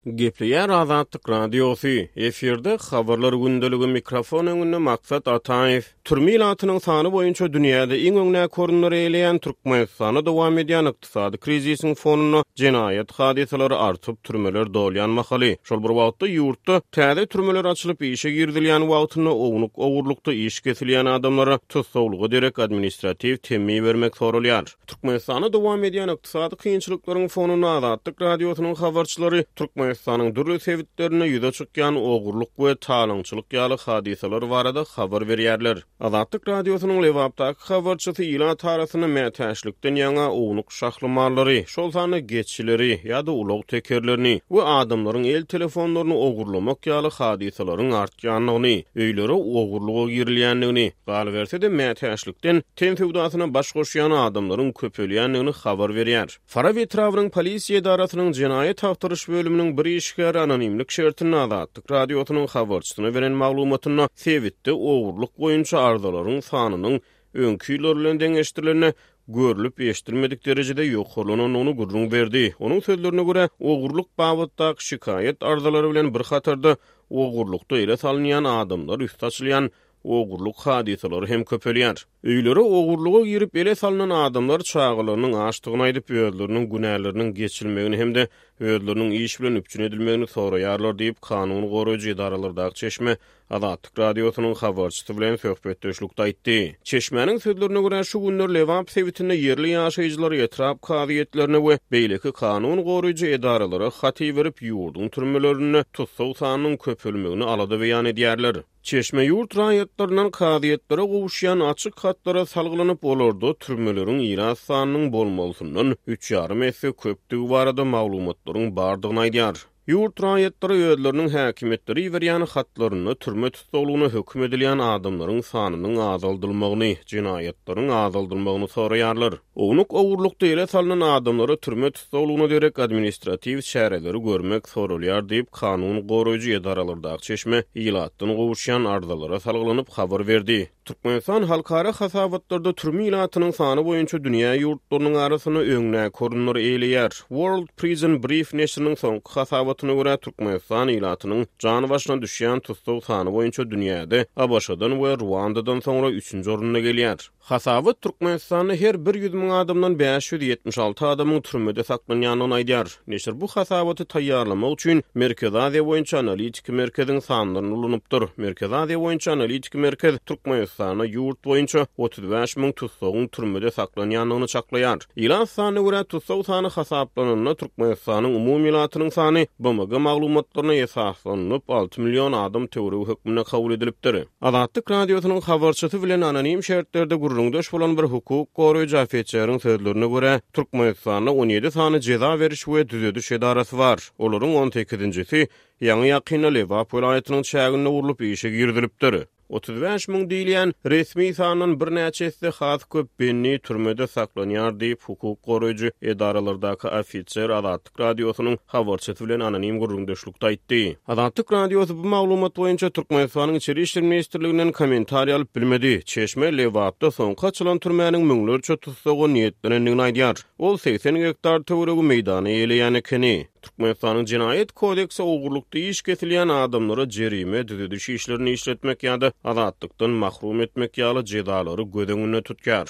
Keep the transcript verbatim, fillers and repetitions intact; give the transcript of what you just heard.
Gepleýär Azatlyk Radiosy, efirde Habarlar gündeligi, mikrofon öňünde Maksat Ataýew. Türme ilatynyň sany boýunça dünýäde iň öňdäki orunlary eýeleýän Türkmenistanda dowam edýän ykdysady krizisiň fonunda jenaýat hadysalary artyp, türmeler dolýan mahaly, şol bir wagtda ýurtda täze türmeler açylyp işe girizilýän wagtynda ownuk ogurlykda iş kesilýän adamlara tussaglyga derek administratiw temmi bermek soralýar. Türkmenistanda dowam edýän ykdysady kynçylyklaryň fonunda Azatlyk Radiosynyň habarçylary Türkmenistanyň dürli sebitlerinde ýüze çykýan ogurlyk we talaňçylyk ýaly hadysalar barada habar berýärler. Azatlyk Radiosynyň Lebapdaky habarçysy ilat arasynda mätäçlikden ýaňa ownuk şahly mallary, şol sanda geçileri ýa-da ulag tekerlerini we adamlaryň el telefonlaryny ogurlamak ýaly hadysalaryň artýandygyny, öýlere ogurlyga girilýändigini, galyberse-de mätäçlikden ten söwdasyna baş goşýan adamlaryň köpelýändigini habar berýär. Farap etrabynyň polisiýa edarasynyň jenaýat agtaryş bölüminiň bir işgäri anonimlik şertinde Azatlyk Radiosynyň habarçysyna beren maglumatynda sebitde ogurlyk boýunça arzalaryň sanynyň öňki ýyllar bilen deňeşdirilende görlüp eşidilmedik derejede ýokarlanandygyny gürrüň berdi. Onuň sözlerine görä, ogurlyk babatdaky şikaýat arzalary bilen bir hatarda ogurlykda ele salynýan adamlar üsti açylýan ogurlyk hadysalary hem köpelýär. Öýlere ogurlyga girip ele salynan adamlar çagalarynyň açdygyny aýdyp, özleriniň günäleriniň geçilmegini hem-de özleriniň iş bilen üpjün edilmegini soraýarlar diýip, kanun goraýjy edaralardaky çeşme Azatlyk Radiosynyň habarçysy bilen söhbetdeşlikde aýtdy. Çeşmäniň sözlerine görä, şu günler Lebap sebitinde ýerli ýaşaýjylar etrap kazyýetlerine we beýleki kanun goraýjy edaralara hat iberip, ýurduň türmelerinde tussag sanynyň köpelmegini alada beýan edýärler. Çeşme ýurt raýatlaryndan kazyýetlere gowuşýan açyk hatlara salgylanyp, olarda türmeleriň ilat sanynyň bolmalysyndan üç ýarym esse köpdügi barada maglumatlaryň bardygyny aýdýar. Ýurt raýatlary özleriniň häkimiýetleri iberýän hatlarynda türme tussaglygyna höküm edilýän adamlaryň sanynyň azaldylmagyny, jenaýatlaryň azaldylmagyny soraýarlar. Ownuk ogurlykda ele salynan adamlara türme tussaglygyna derek administratiw çäreleri görmek soralýar diýip, kanun goraýjy edaralardaky çeşme ilatdan gowuşýan arzalara salgylanyp habar berdi. Türkmenistan halkara hasabatlarda türme ilatynyň sany boýunça dünýä ýurtlarynyň arasynda öňdäki orunlary eýeleýär. World Prison Brief neşiriniň soňky hasabatyna görä, Türkmenistan ilatynyň jan başyna düşýän tussag sany boýunça dünýäde ABŞ-dan we Ruandadan soňra üçünji orunda gelýär. Hasabat Türkmenistanda her bir ýüz müň adamdan bäş ýüz ýetmiş alty adamyň türmede saklanýandygyny aýdýar. Neşir bu hasabaty taýýarlamak üçin Merkezi Aziýa boýunça analitiki merkeziň sanlaryny ulanypdyr. Merkezi Aziýa boýunça analitiki merkez Türkmenistanda ýurt boýunça otuz bäş müň tussagyň türmede saklanýandygyny çaklaýar. Ilat sanyna görä tussag sany hasaplananda Türkmenistanyň umumy ilatynyň sany B M G maglumatlaryna esaslanyp alty million adam töweregi hökmünde kabul edilipdir. Azatlyk Radiosynyň habarçysy bilen anonim şertlerde gürrüňdeş bolan bir hukuk goraýjy ofiseriň sözlerine görä, Türkmenistanda on ýedi sany jeza beriş we düzediş edarasy bar. Olaryň on sekizinjisi ýaňy ýakynda Lebap welaýatynyň çäginde gurlup işe girizilipdir. Otuz bäş müň diýilýän resmi sandan birnäçe esse has köp bendi türmede saklanýar diýip, hukuk goraýjy edaralardaky ofiser Azatlyk Radiosynyň habarçysy bilen anonim gürrüňdeşlikde aýtdy. Azatlyk Radiosy bu maglumat boýunça Türkmenistanyň Içeri İşler Ministrliginden kommentariý alyp bilmedi. Çeşme Lebapda soňky açylan türmäniň müňlerçe tussaga niýetlenendigini aýdýar. Ol seksen gektar töweregi meýdany eýeleýän ekeni. Türkmenistanyň Jenaýat kodeksi ogurlykda iş kesilýän adamlara jerime, düzediş işlerini işletmek ýa-da azatlykdan mahrum etmek ýaly jezalary göz öňünde tutýar.